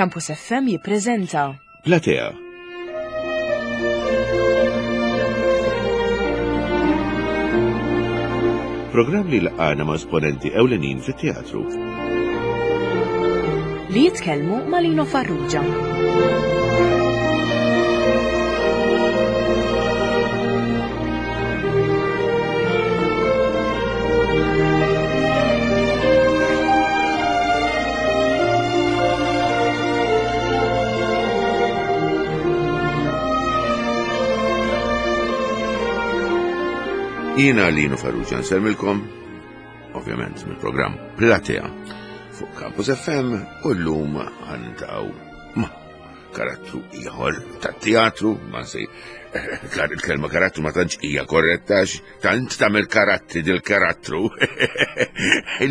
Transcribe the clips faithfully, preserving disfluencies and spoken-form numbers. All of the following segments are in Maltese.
Campus F M jippreżenta Platea. Programm li laqana ma' esponenti ewlenin fit-teatru. Li jitkellmu ma' Lino Farrugia. Jiena Lino Farrugia nsellmilkom, ovvjament mill-programm Platea fuq Campus F M, u llum ħa niltaqgħu ma' karattru ieħor tat-teatru, ma sej il-kelma karattru ma tantx hija korretta, tant tagħmel karattri dil-karattru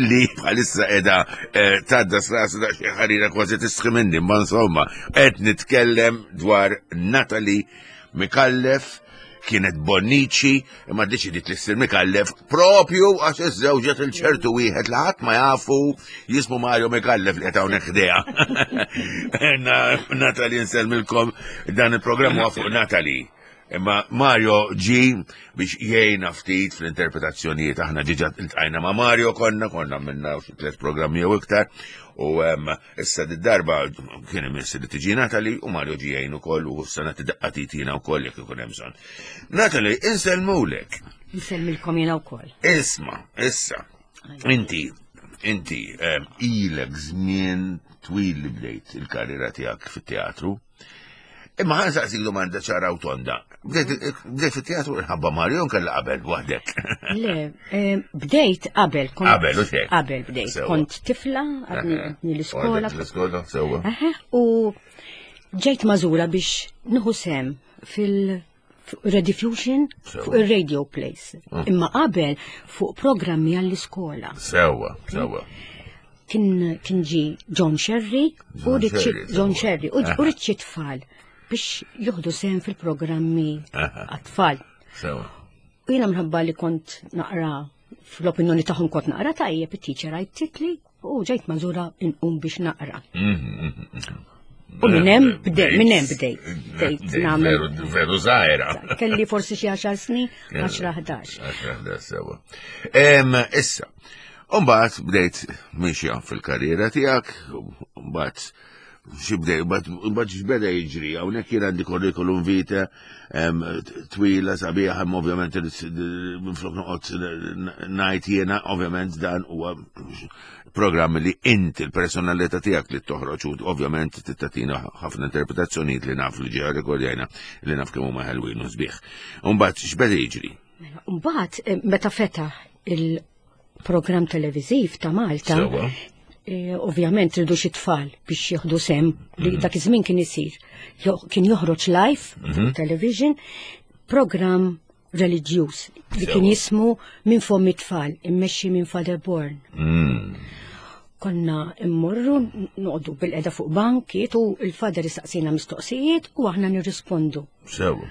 li bħalissa qiegħda eh, tadda sras da xi ħarira kważi tistħi minni, ma insomma qed nitkellem dwar Natalie Mikallef. Kienet Bonnici, imma deċidiet li ssir Mikallef propju għax iżżewġet il-ċertu wieħed li ħadd ma jafu, jismu Mario Mikallef, li qed hawnhekk ħdejha. Natalie, nsellmilkom, dan il-programm huwa fuq Natalie. Imma Mario ġi biex jgħinna ftit fl-interpretazzjonijiet. Aħna diġà iltqajna ma' Mario, konna konna minna xi tliet programmi jew iktar u em, issa darba kien imiss li tiġi Natalie u Mario ġi jgħin ukoll u s-sena tidaqqa titina wkoll jekk ikun hemm bżonn. Natalie, insellmulek. Nsellmilkom jiena wkoll. Isma, issa, inti, inti em, ilek żmien twil li bdejt il-karriera tiegħek fit-teatru. Imma ħa nsaqsik domanda ċara u tonda. Bdejt bdejt fit-teatru minħabba Mario kella qabel waħdek? Le, eh, bdejt qabel. kont- Qabel, u xek? Qabel bdejt. Sewa. Kont tifla, għadni għadni l-iskola. Għadek l-iskola, sewa. Aha, u ġejt magħżula biex nieħu sehem fil- Rediffusion Sewa. fuq il-radio plays. Imma qabel fuq programmi għall-iskola. Sewa, sewa. Kien kien ġi John Sherry u John Richie Sherry, John sewa. Sherry u Aha. u Richie tfal biex jieħdu sehem fil-programmi Aha. għat-tfal. Sewa. U jiena minħabba li kont naqra, fl-opinjoni tagħhom kont naqra tajjeb, it-teacher għajtitli u ġejt magħżula inqum biex naqra. Mhm, mhm, mhm. U minn hemm bdej, minn hemm bdejt. Bdejt Bdejt nagħmel. Veru, veru żgħira. Kelli forsi xi għaxar snin, għaxra, ħdax. Għaxra, ħdax, sewa. Em, Issa, Umbagħad bdejt mixja fil-karriera tiegħek, umbagħad xibdej, umbagħad x'beda jiġri, hawnhekk jien għandi curriculum vitae em, twila sabiħa, imma ovvjament minflok noqgħod ngħid jiena, ovvjament dan huwa programm li inti l-personalità tiegħek li toħroġ u ovvjament tagħtina ħafna interpretazzjonijiet li naf li ġew rekordjajna, li naf kemm huma ħelwin u sbieħ. Umbagħad x'beda jiġri? Mela, mbagħad eh, meta fetaħ il-programm televiżiv ta' Malta, Sewa. eh, ovvjament ridu xi tfal biex jieħdu sehem li dak iż-żmien kien isir. Jo- Kien joħroġ live fuq television programm reliġjuż li kien Sewa. jismu Minn Fomm it-Tfal, immexxi minn Father Born. Mm. Konna immorru noqogħdu bilqiegħda fuq bankiet u il-father jistaqsina mistoqsijiet u aħna nirrispondu. Sewa.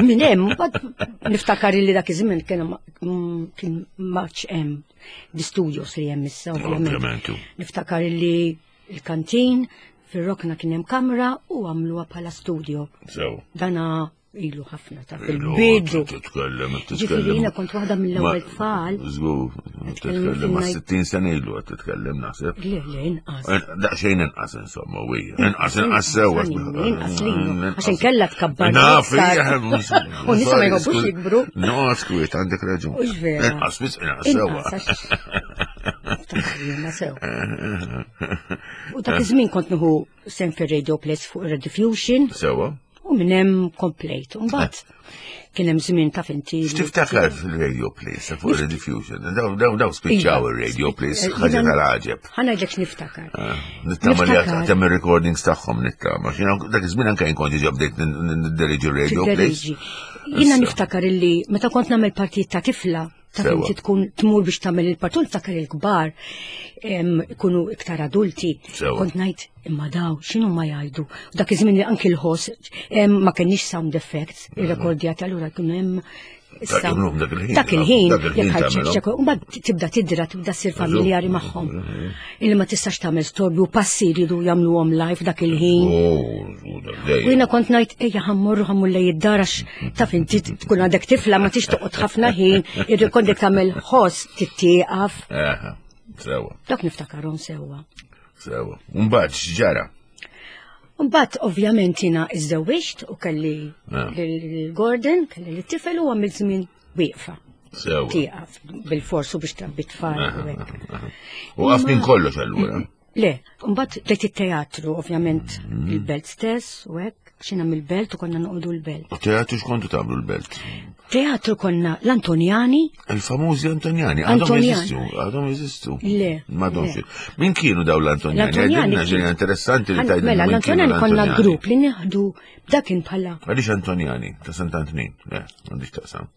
Minn hemm, mbagħad niftakar li dak iż-żmien kien ma- mm, kien maċ hemm di studios li hemm issa, ovvjament. Ovvjament. Niftakar li il-kantin fir-rokna kien hemm kamra u għamluha bħala studio. Sewa. Dana ilu ħafna ta' Ilu, fil-bidu. Titkellem, Ġifieri titkellem. jiena kont waħda mill-ewwel tfal. Żgur, titkellem ma' sittin sena ilu qed titkellem, naħseb. Le, le, inqas. Daqsxejn inqas insomma, wija. Inqas, inqas sewa. Inqas lilu. Għax inkella tkabbar. Naf, iktar. U nisa ma jħobbux jikbru. No, skwiet, għandek raġun. Ux vera. Inqas, biss inqas sewa. Inqas, għax- Niftakar jiena sew. U dak iż-żmien kont nieħu sehem fir-radio plays fuq Rediffusion Sewa. U minn hemm komplejt. Mbagħad kien hemm żmien ta' finti. X'tiftakar fil-radio plays fuq Rediffusion? Daw daw daw spiċċaw il-radio plays, Eh, ħaġa tal-għaġeb. Ħa ngħidlek x'niftakar. Nittama li Niftakar. għatem il-recordings tagħhom, nittama. Xina dak iż-żmien anke jien kont diġà bdejt nidderieġi radio plays. Tidderieġi. Jiena Issa. niftakar illi meta kont nagħmel partit ta' tifla, ta' Sewa. inti tkun tmur biex tagħmel il-partit, niftakar il-kbar em, ikunu iktar adulti. Sewa. Kont ngħid Imma daw, x'inhu ma jgħidu? Dak iż-żmien li anki l-ħoss ma kenniex sound effects, irrekordjati allura kienu hemm dak il-ħin. Dak il-ħin, jekk mbagħad tibda tidra, tibda ssir familjari magħhom. Illi ma tistax tagħmel storbju, passi jridu jagħmluhom live dak il-ħin. U jiena kont ngħid ejja ħammorru ħammur lej id-dar għax taf inti tkun għandek tifla ma tix toqgħod ħafna ħin, irrikondek tagħmel ħoss tittieqaf. Sewwa. Dak niftakarhom sewwa. Sewwa. Mbagħad x'ġara? Mbagħad ovvjament jiena iżżewwiġt u kelli lil Gordon, kelli lit-tifel u għamilt żmien wieqfa. Sewwa. Tieqaf bil-forsu biex trabbi tfal u hekk. U għaf minn kollox allura. Le, mbagħad bdejt it-teatru, ovvjament il-belt stess u hekk, xina mill-belt u konna noqogħdu l-belt. U teatru x'kontu tagħmlu l-belt? Teatru konna l-Antonjani. Il-famużi Antonjani, għadhom jeżistu, għadhom jeżistu. Le. M'għadhomx. Min kienu daw l-Antonjani? L-Antonjani. Għedilna interessanti li tgħidilna. Mela, l-Antonjani konna grupp li nieħdu dakin bħala. Għaliex Antonjani, ta' Sant'Antnin, le, m'għandix taqsam.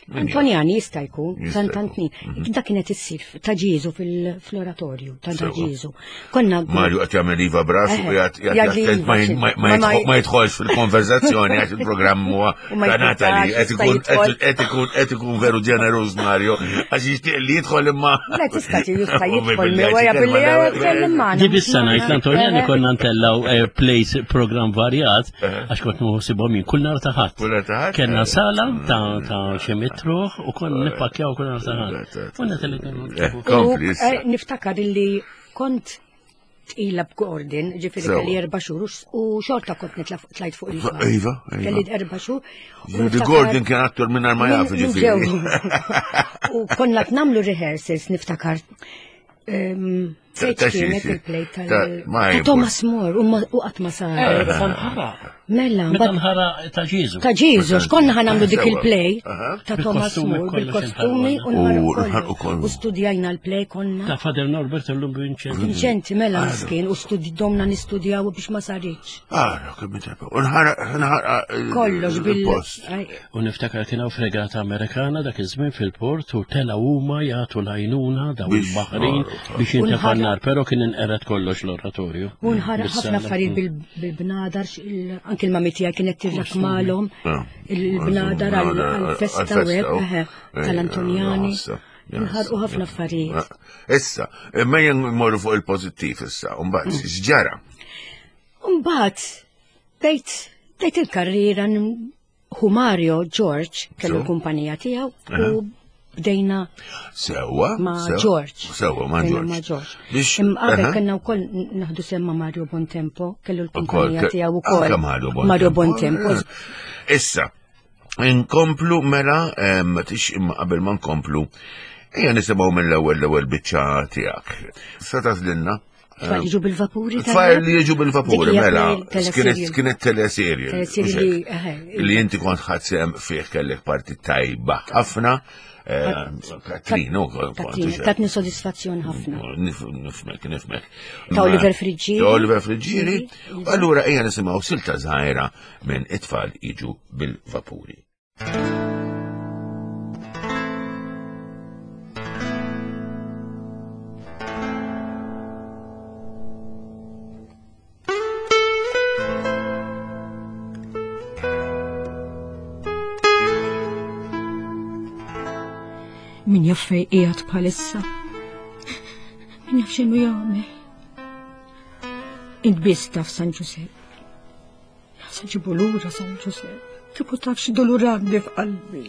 Antonjani jista' jkun, Sant'Antnin. Dak kienet issir ta' Ġieżu fil-oratorju, ta' Ġieżu. Konna Mario qed jagħmel iva brasu u jgħid ma jidħolx fil-konverzazzjoni għax il-programm huwa ta' Natalie qed ikun qed ikun qed ikun veru ġeneruż Mario għax jixtieq li jidħol imma. Le tista' jista' jidħol wara billi jitkellem magħna. Di bissa ngħid l-Antonjani konna ntellgħu plays program varjat għax kont nħossibhom jien kull nhar ta' ħadd. Kellna sala ta' xi mitruħ u konna nippakjaw kull nhar ta' ħadd. Niftakar illi kont tqila b'Gordon, ġifieri kelli erba' xhur u xorta kont tlajt fuq il-palk. Iva, Kelli erba' xhur. Ġifieri Gordon kien attur minn ma jaf ġifieri. U konna nagħmlu rehearsals niftakar. Sejt kienet il-play tal Thomas More u qatt ma sar. Mela, meta nħara ta' Ġieżu. Ta' Ġieżu, x'konna ħa nagħmlu dik il-play ta' Thomas More bil-kostumi u nħarqu kollu. U studjajna l-play konna. Ta' Father Norbert illum Vinċenti. Vinċenti mela miskin u domna nistudjaw biex ma saritx. Ah, kemm intreppa. U nħaraq kollox bil-post. U niftakar kien hawn fregata Amerikana dak iż-żmien fil-port u tela huma jagħtu l-għajnuna daw il-baħrin biex jintefa' n-nar, però kien inqered kollox l-oratorju. U nħaraq ħafna affarijiet bil-bnadar, anki l-mami tiegħi kienet tirrakmalhom il-bnadar għal-festa u hekk tal-Antonjani. Nħarqu ħafna affarijiet. Issa, imma jien mmorru fuq il-pożittiv issa, u mbagħad x'ġara? Mbagħad bdejt bdejt il-karriera hu Mario George kellu l-kumpanija tiegħu u bdejna Sewwa ma' George. Sewwa ma' George. Ma' George. Qabel kellna wkoll naħdu semma Mario Bontempo, kellu l-kumpanija tiegħu wkoll. Mario Bontempo. Issa, inkomplu mela, tix imma qabel ma nkomplu, ejja nisimgħu mill-ewwel l-ewwel biċċa tiegħek. Sa tagħżlilna? Tfal jiġu bil-vapuri. Tfal li jiġu bil-vapuri, mela. Kienet teleserje. Li inti kont ħadd sehem fih kellek parti tajba ħafna. Katrino, Tatni soddisfazzjon ħafna. Nifmek, nifmek. Ta' Oliver Friggieri. Ta' Oliver Friggieri. Allura ejja nisimgħu silta żgħira minn it-tfal jiġu bil-vapuri. Min jaf fej qiegħed bħalissa. Min jaf x'inhu jagħmel. Int biss taf San Ġusepp. Sa ġibu lura San Ġusepp. Kieku taf x'dulur għandi f'qalbi.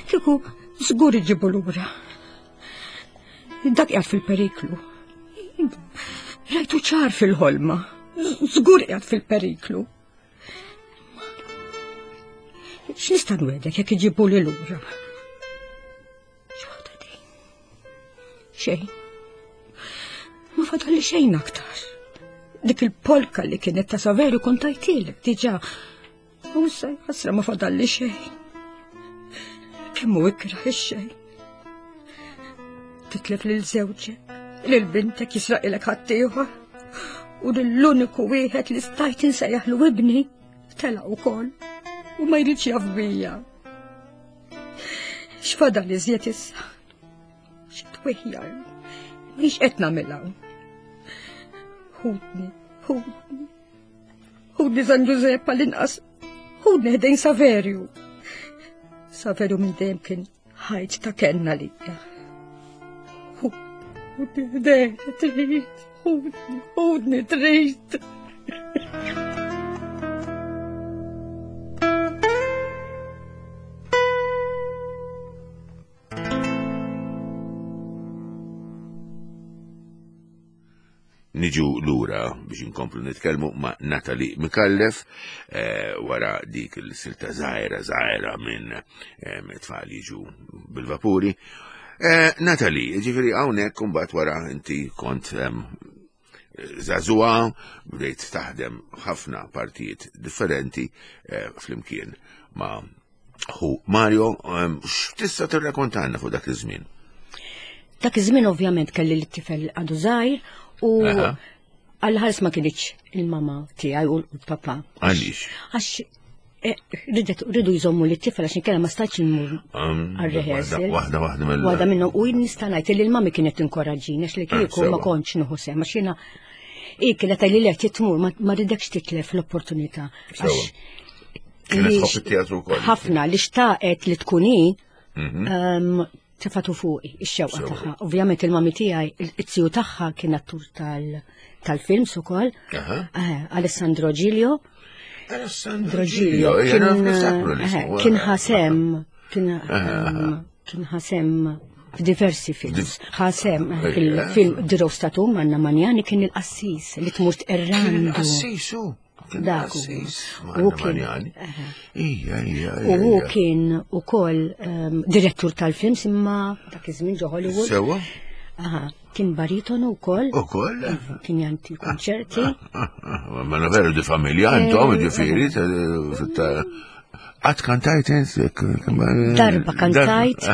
Kieku żgur iġibu lura. Dak qiegħed fil-periklu. Rajtu ċar fil-ħolma. Żgur qiegħed fil-periklu. X'nista' nwedek jekk iġibu li lura? Xejn. Ma fadalli xejn aktar. Dik il-polka li kienet ta' Saveru kont tajtilek diġà. U issa ħasra ma fadalli xejn. Kemm hu ikrah ix-xejn. Titlef lil żewġek, lil bintek jisraqilek ħaddieħor. U lill-uniku wieħed li stajt insejjaħlu ibni telaq ukoll u ma jridx jaf bija. X'fadal iżjed issa? Xi twieħjar, mhix qed nagħmilha. Ħudni, ħudni. Ħudni San Giuseppe għall-inqas. Ħudni ħdejn Saverju. Saverju minn dejjem kien ħajt ta' kenna lija. Ħudni ħdejn, trid, ħudni, ħudni trid. Niġu lura biex inkomplu nitkellmu ma' Natalie Micallef eh, wara dik il-silta żgħira żgħira minn eh, tfal jiġu bil-vapuri. Eh, Natalie, ġifieri hawnhekk imbagħad wara inti kont żagħżugħa, bdejt taħdem ħafna partijiet differenti flimkien ma' ħu Mario, x'tista' tirrakkontalna fuq dak iż-żmien? Dak iż-żmien ovvjament kelli l-tifel għadu żgħir u għal-ħars ma kienx il-mama tiegħi u l-papa. Għaliex? Għax ridu jżommu li t-tifel għax inkella ma stajtx nmur għal-rehearsal. Waħda waħda mill Waħda minnhom u nista' ngħid li l-mami kienet tinkoraġġini għax li kieku ma kontx nieħu sehem għax jiena hi kienet tgħidli li qed tmur ma ridekx titlef l-opportunità. Kienet tħobb it-teatru wkoll. Ħafna li xtaqet li tkun hi tefatu fuqi, ix-xewqa tagħha. Ovvjament il-mami tiegħi, it-tiju tagħha kien attur tal-films ukoll. Alessandro Giglio. Alessandro Giglio kien ħasem kien ħasem f'diversi films. Ħasem fil-film The Rose Tattoo Anna Manjani kien il-qassis li tmur tqerrandu. Il-qassis hu. Dak u kien u hu kien ukoll direttur tal-films imma dak iż-żmien ġo Hollywood. Sewa? Aha, kien baritonu wkoll. Ukoll? Kien janti konċerti. Ma veru di familja intom ġifieri Qatt kantajt Darba kantajt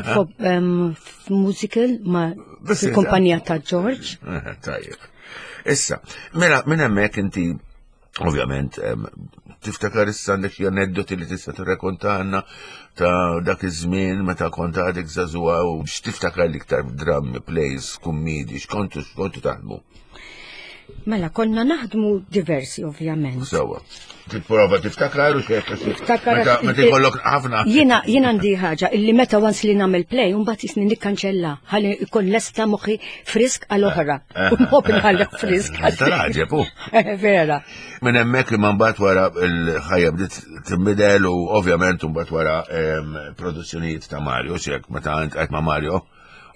f'musical ma' fil-kumpanija ta' George. Tajjeb. Issa, mela minn hemmhekk inti ovvjament, tiftakar issa għandek xi aneddoti li tista' tirrakkontalna ta' dak iż-żmien meta kont għadek żagħżugħa u x'tiftakar l-iktar drammi, plays, kummedji, x'kontu x'kontu taħdmu? Mela, konna naħdmu diversi, ovvjament. Sewa. Tipprova tiftakar u xejn. Tiftakar. Meta jkollok ħafna. Jiena jiena għandi ħaġa illi meta once li nagħmel play u mbagħad jisni nikkanċella ħalli jkun lesta moħħi frisk għal oħra. U nħobb nħalli frisk. Tal-ħaġeb hu. Vera. Minn hemmhekk imma mbagħad wara l-ħajja bdiet tinbidel u ovvjament mbagħad wara produzzjonijiet ta' Mario, x'hekk meta int qed ma' Mario.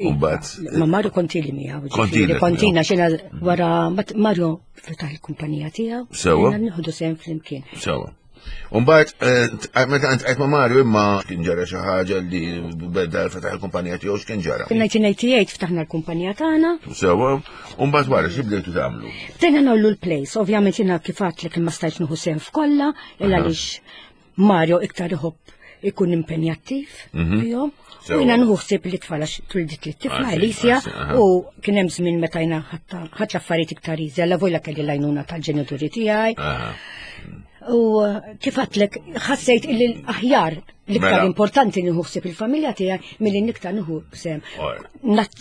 Umbat. Ma Mario kontili miegħu. Kontina, kontina xena wara Mario fetaħ il-kumpanija tiegħu. Sewa. Nieħdu sehem flimkien. Sewa. Umbat, meta int qed ma' Mario imma kien ġara xi ħaġa li beda fetaħ il-kumpanija tiegħu x'kien ġara? Fil-nineteen eighty-eight ftaħna l-kumpanija tagħna. Sewa. Umbat wara xi bdejtu tagħmlu? Bdejna nagħmlu l-plays, ovvjament jiena kif għedtlek ma stajtx nieħu sehem f'kollha, illa għaliex Mario iktar iħobb ikun impenjattiv fihom. U jiena nieħu ħsieb li tfal għax twildet li t-tifla Elisja u kien hemm żmien meta jiena ħadd affarijiet iktar easy, alla vojla kelli l-għajnuna tal-ġenituri tiegħi. U kif għedtlek ħassejt illi l-aħjar l-iktar importanti nieħu ħsieb il-familja tiegħi milli niktar nieħu sehem.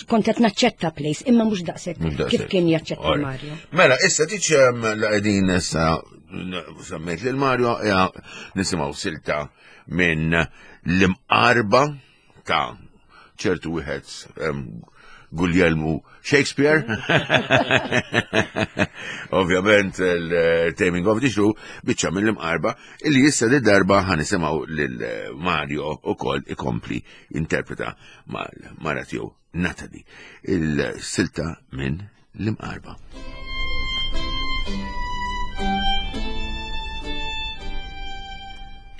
Kont qed naċċetta place imma mhux daqshekk kif kien jaċċetta Mario. Mela, issa tiċ la qegħdin issa semmejt lil Mario nisimgħu silta minn l-imqarba ta' ċertu wieħed Guglielmo Shakespeare. Ovvjament il-Taming of the Shrew biċċa mill-imqarba illi issa di darba ħanisimgħu lil Mario ukoll ikompli interpreta mal-mara tiegħu Natalie il-silta minn l-imqarba.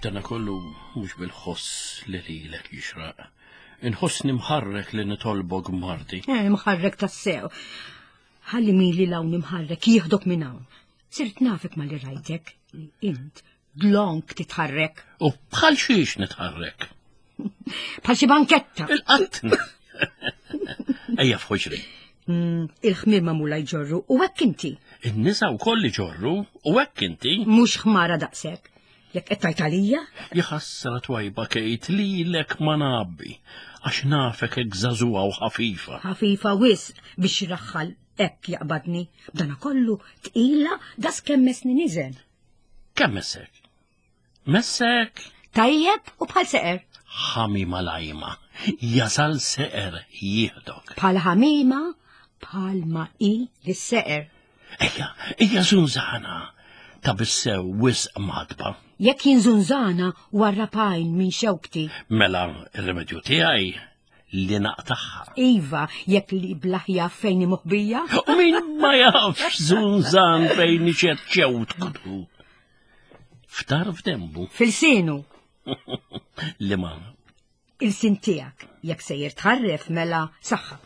Dana kollu mhux bil-ħoss li lilek jixraq. Inħossni mħarrek li nitolbok marti. Eh, mħarrek tassew. Ħalli min li lawn imħarrek jieħdok minn hawn. Sirt nafek ma li rajtek. Int dlonk titħarrek. U bħal xiex nitħarrek? Bħal xi banketta. Il-qatt. Ejja f'ħoġri. Il-ħmir magħmula jġorru u hekk inti. In-nisa wkoll iġorru u hekk inti. Mhux ħmara daqshekk. Jekk qed tgħid għalija? Jaħassra twajba Kate lilek ma nabbi, għax nafek hekk żagħżugħa u ħafifa. Ħafifa wisq biex raħħal Hekk jaqbadni, b'dana kollu tqila das kemm mesni niżen. Kemm messek? Messek? Tajjeb u bħal seqer. Ħamima lajma, jasal seqer jieħdok. Bħal ħamima, bħal ma i lis-seqer. Ejja, ejja zunzana, ta' bissew wisq madba. Jekk jien zunzana warrapajn minn xewkti. Mela ir-remedju tiegħi li naqtaħħa. Iva, jekk li blaħja fejn moħbija. U min ma jafx zunzan fejn iċeċċew tkunu. Ftar f'dembu. Fil-sinu. Li ma. Il-sin tiegħek, jekk sejjer tħarref mela saħħa.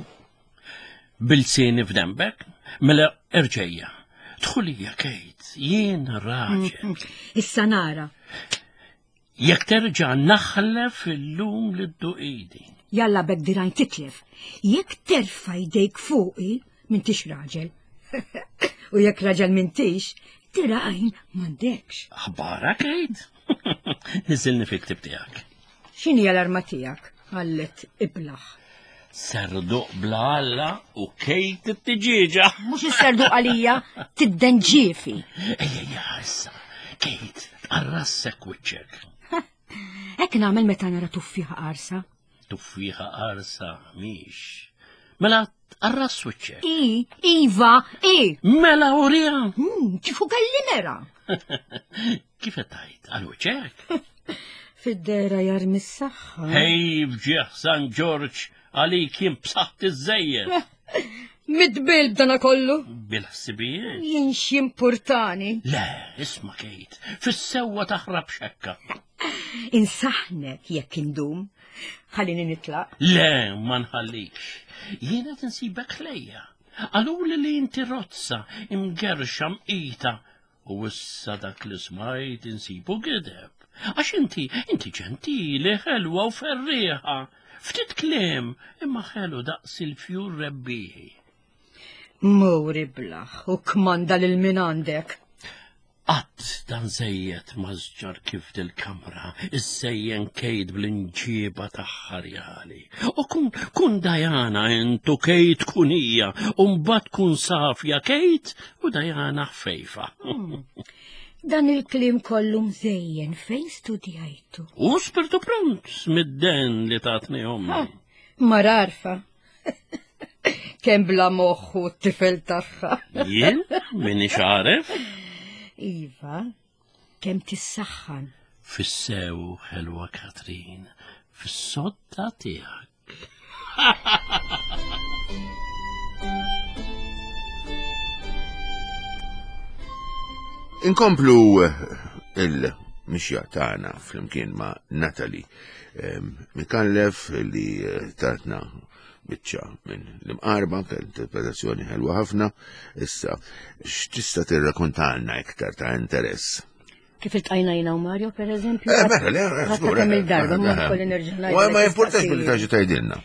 Bil-sini f'dembek, mela erġejja. Dħulija Kate, jien raġel. Issa nara. Jekk terġa' naħlef illum li dduqidi. Jalla bek dirajn titlef. Jekk terfa' jdejk fuqi, m'intix raġel. U jekk raġel m'intix, dirajn m'għandekx. Aħbara Kate? Niżilni fil-ktib tiegħek. X'inhi l-arma tiegħek? Għallet iblaħ. Serduq bla Alla u Kate it-tiġieġa. Mhux is-serduq għalija, tiddenġiefi. Ejja, ejja, issa. Kate, tqarrassek wiċċek. Hekk nagħmel meta nara tuffieħa qarsa. Tuffieħa qarsa mhix. Mela tqarras wiċċek. I, iva, i. Mela urija. Hmm, Kif kelli mera? Kif qed tgħid? Għal wiċċek? Fid-dera jarmi s-saħħa. Hej, fġieħ San Ġorġ, għalik jien b'saħħti żejjed. Midbil b'dana kollu. Bil-ħsibijiet. Jien x'jimpurtani. Le, isma' Kate, fis-sewwa taħrab xekka. Insaħnek jekk indum. Ħallini nitlaq. Le, ma nħallikx. Jiena tinsibek ħlejja. Qaluli li inti rozza, imgerxa mqita. U issa dak li smajt insibu gideb. Għax inti, inti ġentili, ħelwa u ferrieħa. Ftit kliem, imma ħelu daqs il-fjur rebbieħi. Mur iblaħ u kmanda lil min għandek. Qatt dan żejjed mażġar kif dil-kamra, iżejjen Kate bl-inġiba tagħha rjali. U kun, kun Diana intu Kate kun hija, u mbagħad kun safja Kate u Diana ħfejfa. Dan il-kliem kollu mżejjen fejn studjajtu? U spirtu pront mid-den li tatni ommi. Mararfa. Kemm bla moħħu t-tifel tagħha. Jien minix għaref? Iva, kemm tissaħħan. Fis-sew ħelwa Katrin, fis-sodda tiegħek. Inkomplu il-mixja tagħna flimkien ma' Natalie Micallef li tatna biċċa minn l-imqarba, interpretazzjoni ħelwa ħafna. Issa, x'tista' tirrakontalna iktar ta' interess? Kif iltqajna jiena u Mario, per eżempju? Eh, mela, le, żgur. Kemm il-darba, ma nkolli nerġa' ngħid. Ma importax billi taġi tgħidilna.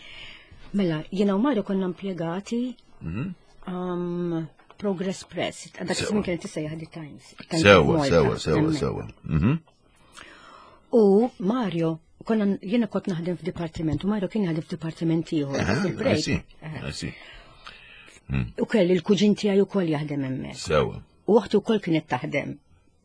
Mela, jiena u Mario konna impjegati Progress Press, dak iż-żmien kienet tissejjaħ The Times. Sewa, sewa, sewa, sewa. U Mario, konna jiena kont naħdem f'dipartiment u Mario kien jaħdem f'dipartiment ieħor fil-break. U kelli l-kuġin tiegħi wkoll jaħdem hemmhekk. Sewa. U oħti wkoll kienet taħdem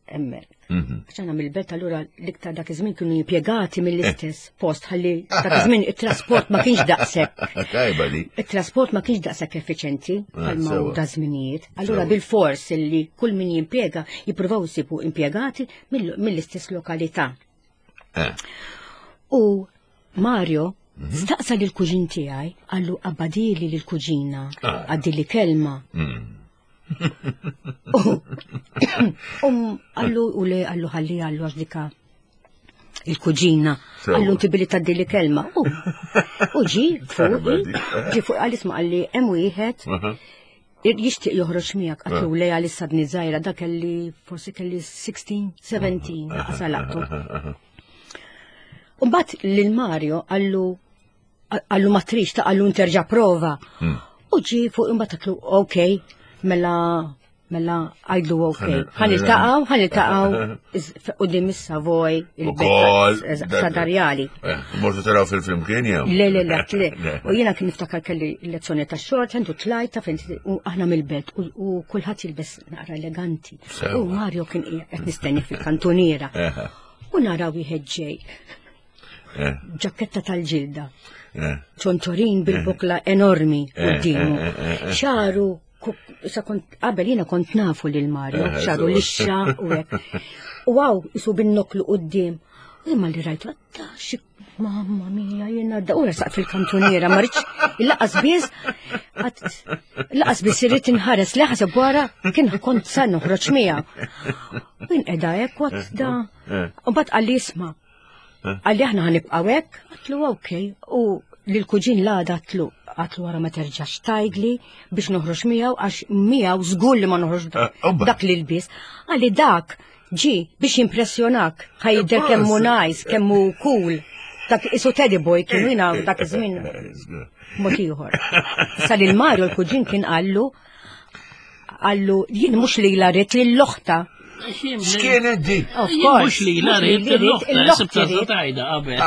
hemmhekk. Għax aħna mill-belt allura l-iktar dak iż-żmien kienu impjegati mill-istess post ħalli dak iż-żmien it-trasport ma kienx daqshekk. Tajba li. It-trasport ma kienx daqshekk effiċenti bħalma hu da żminijiet. Allura bil-fors illi kull min jimpjega jippruvaw isibu impjegati mill-istess lokalità. U Mario staqsa lil kuġin tiegħi, qallu qabbadili lil kuġina, għaddili kelma. Um, qallu u le, qallu ħalli, qallu għax dika il-kuġina, qallu inti billi tgħaddili kelma. U ġi fuqi, ġi fuqi qal isma' qalli hemm wieħed jixtieq joħroġ miegħek, qatlu le għalissa dni żgħira, da kelli forsi kelli sixteen, seventeen, għasalaqtu. Mbagħad lil Mario qallu qallu ma trix ta' qallu nterġa' prova. U ġi fuq imbagħad qatlu okej, mela Mela għajdlu ok. Ħa niltaqgħu, ħa niltaqgħu quddiem is-Savoy, il-belt Sadarjali. Mortu taraw fil-film kien jew? Le, le, le, le. U jiena kien niftakar kelli lezzjoni ta' short hand u tlajta fejn u aħna mill-belt u kulħadd jilbes naqra eleganti. U Mario kien qed nistenni fil-kantuniera. U nara wieħed ġej. Ġaketta tal-ġilda. Ċontorin bil-bukla enormi quddiemu. Xaru sa kont qabel jiena kont nafu lil Mario, xaru lixxa u hekk. U għaw isu bin-noklu quddiem. U imma li rajtu għatta xi mamma mia jiena da u resaq fil-kantuniera ma rridx il-laqas biss laqas biss irrid inħares li ħaseb wara kien kont sa noħroġ miegħu. U inqeda hekk waqt da. U mbagħad qalli isma'. Qalli aħna ħanibqgħu hekk, għatlu okej u lill-kuġin l-għada għatlu għatlu wara ma terġax tajdli biex noħroġ miegħu għax miegħu żgur li ma noħroġ dak li lbies. Qalli dak ġi biex jimpressjonak, ħajder kemm hu nice, kemm hu cool. Dak isu Teddy Boy kienu jiena dak iż-żmien mod ieħor. Issa lil Mario l-kuġin kien qallu qallu jien mhux lilha rrid lil oħta. X'kienet dik? Of course. Mhux lilha rrid l-oħta, sibta tajda qabel.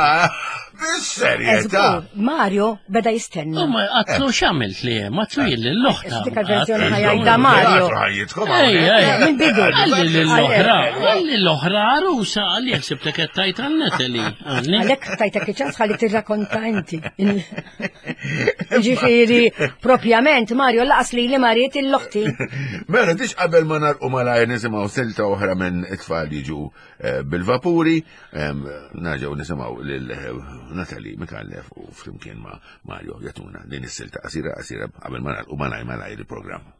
Bis-serjetà. Mario beda jistenna. U ma għatlu x'għamilt li hemm, għatlu jien lill-oħta. Dik il-verżjoni ħajjajda Mario. Ej, Mill-bidu. Għalli lill-oħra, għalli l-oħra għarusa, għalli jekk sibtek qed tajt għal Natalie. Għalhekk tajtek iċ-ċans ħalli tirrakkonta inti. Ġifieri, propjament Mario laqas li li mariet il-loħti. Mela dix qabel ma narqu malajr nisimgħu silta oħra minn it-tfal jiġu bil-vapuri, nerġgħu nisimgħu lil Natalie Micallef u flimkien ma' Mario jatuna din is-silta qasira qasira qabel ma nagħlqu malajr malajr il-programm.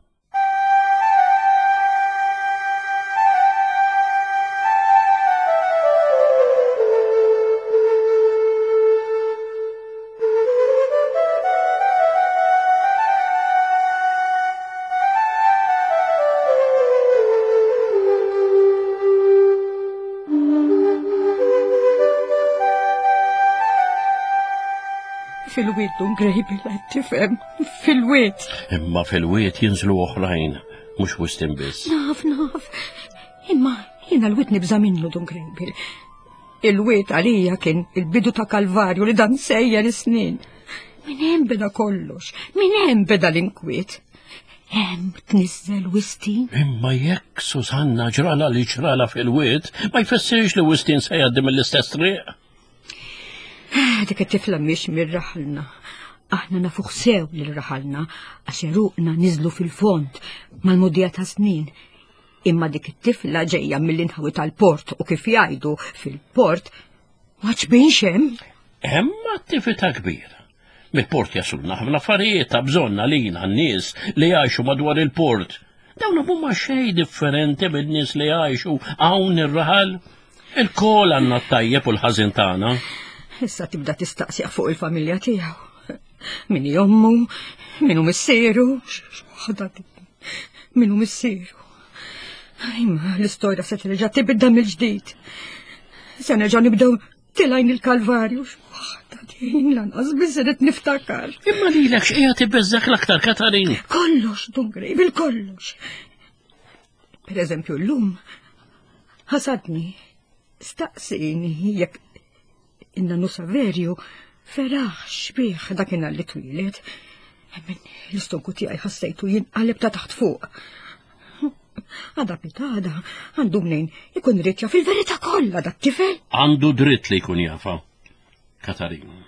Fil-wiet Dun Grejbel qed tifhem, fil-wiet. Imma fil-wiet jinżlu oħrajn, mhux Wistin biss. Naf, naf. Imma jiena l-wiet nibża' minnu Dun Grejbel. Il-wiet għalija kien il-bidu ta' Kalvarju li dan sejjer is-snin. Min hemm beda kollox, min hemm beda l-inkwiet. Hemm tniżżel Wistin. Imma jekk Susanna ġrala li ġrala fil-wiet, ma jfissirx li Wistin se jgħaddi mill-istess triq. Dik it-tifla mhix mir-raħalna. Aħna nafuh sew lil raħalna għax eruqna niżlu fil-fond mal-mudija ta' snin. Imma dik it-tifla ġejja mill-inħawi tal-port u kif jgħidu fil-port ma ċbinx hemm. Hemm attività kbira. Mill-port jasulna ħafna affarijiet ta' bżonn għalina n-nies li jgħixu madwar il-port. Dawn huma xejn differenti min-nies li jgħixu hawn ir-raħal. Il-kol għandna t-tajjeb u l-ħażin tagħna. Issa tibda tistaqsiq fuq il-familja tiegħu. Min hi ommu, min hu missieru, x'waħda min hu missieru. Imma l-istorja se terġa' tibda mill-ġdid. Se nerġa' nibdew tilajn il-Kalvarju, x'waħda din lanqas biss irid niftakar. Imma lilek x'qiegħed ibeżżek l-aktar, Katarin? Kollox, Dun Grejbel, kollox. Per eżempju llum ħasadni, staqsini jekk in-nannu Saverju feraħx bih dakinhar li twieled. Min l-istonku tiegħi ħassejtu jinqaleb ta' taħt fuq. Għada pitada, għandu mnejn ikun ried jaf il-verità kollha dak tifel. Għandu dritt li jkun jafa, Katarin.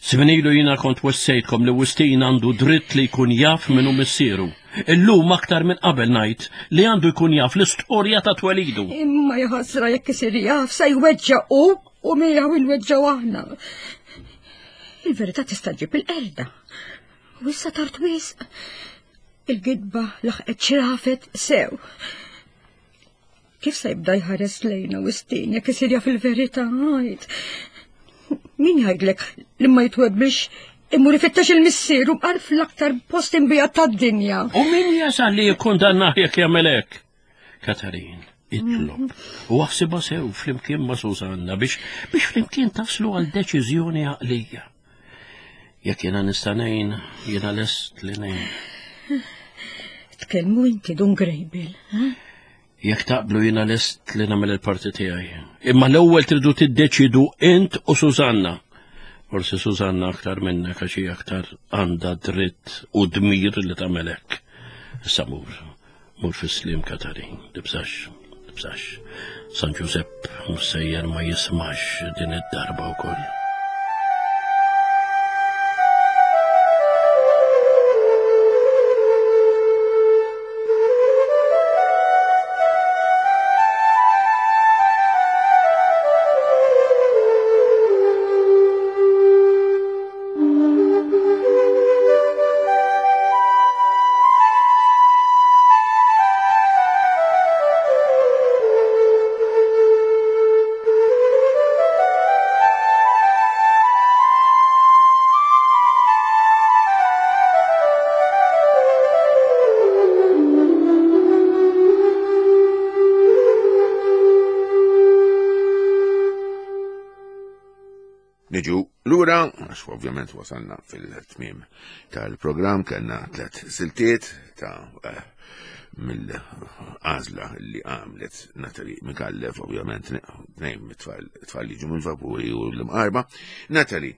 Sminilu jiena kont wessejtkom li Wistin għandu dritt li jkun jaf minnu missieru. Illum aktar minn qabel ngħid li għandu jkun jaf l-istorja ta' twelidu. Imma jaħasra jekk isir jaf se jweġġa' hu u miegħu nweġġgħu aħna. Il-verità tista' ġġib il-qerda. U issa tard wisq. Il-gidba laħqet xrafet sew. Kif se jibda jħares lejna Wistin jekk isir jaf il-verità ngħid? Min jgħidlek li ma jitwebbix imur ifittex il-missieru bqar fl-aktar post imbijat tad-dinja. U min jasal li jikkundannah jekk jagħmel hekk? Katarin, itlob u aħsibha sew flimkien ma' Susanna biex biex flimkien taslu għal deċiżjoni għaqlija. Jekk jiena nista' ngħin, jiena lest li ngħin. Tkellmu inti Dun Grejbil, eh? Jekk taqblu jiena lest li nagħmel il-parti tiegħi. Imma l-ewwel tridu tiddeċidu int u Susanna. Forsi Susanna aktar minnek għax hi aktar għandha dritt u dmir li tagħmel hekk. Issa mur, mur fis-slim Katarin, tibżax, tibżax. San Ġużepp mhux sejjer ma jismax din id-darba wkoll. Niġu lura, għax ovvjament wasalna fil-tmiem tal-programm, kellna tliet siltiet ta' eh, mill-għażla li għamlet Natalie Micallef, ovvjament tnejn mit-tfal tfal li ġu mill-vapuri u l-imqarba. Natalie,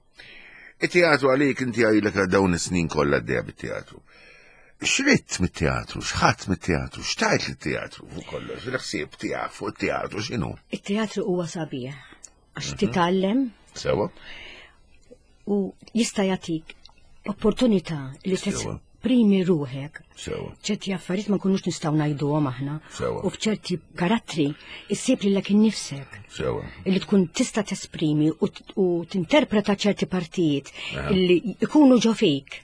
it-teatru għalik inti għajlek dawn is-snin kollha għaddejja bit-teatru. X'ridt mit-teatru, x'ħadd mit-teatru, x'tajt lit-teatru fuq kollox, il-ħsieb tiegħek fuq it-teatru x'inhu? It-teatru huwa sabiħ għax titgħallem Sewa. u jista' jagħtik opportunità li Sewa. tesprimi ruħek. Sewa. ċerti affarijiet ma nkunux nistgħu ngħiduhom aħna. Sewa. U f'ċerti karattri issib lilek innifsek. Sewa. Illi tkun tista' tesprimi u, t- u tinterpreta ċerti partijiet illi ikunu ġo fik.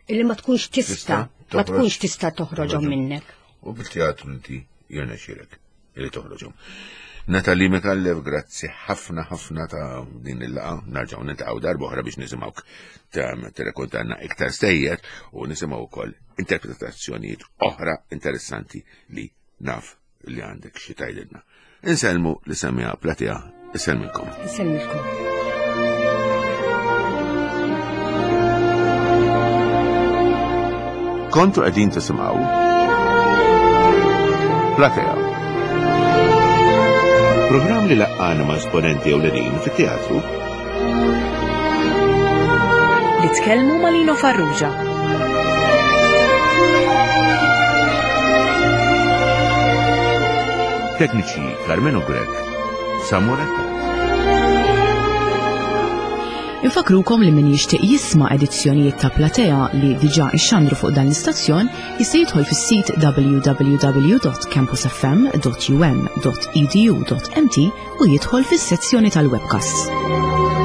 Illi ma tkunx tista' Tista' ma toħroġ. tkunx tista' toħroġhom minnek. U bil-teatru inti jirnexxielek li toħroġhom. Natalie Micallef, grazzi ħafna ħafna ta' din il-laqgħa. Nerġgħu niltaqgħu darba oħra biex nisimgħuk ta' tirrakkontanna iktar stejjer u nisimgħu wkoll interpretazzjonijiet oħra interessanti li naf li għandek xi tgħidilna. Insellmu li semmija Platea, insellmilkom. Insellmilkom. Kontu qegħdin tisimgħu Platea. Programm li laqqana ma' esponenti ewlenin fit-teatru Li tkellmu ma' Lino Farrugia. Tekniċi Carmenu Grech, Samuel Infakrukom li min jixtieq jisma' edizzjonijiet ta' Platea li diġà ixxandru fuq dan l-istazzjon jista' jidħol fis-sit w w w dot campus f m dot u m dot e d u dot m t u jidħol fis-sezzjoni tal-webcasts.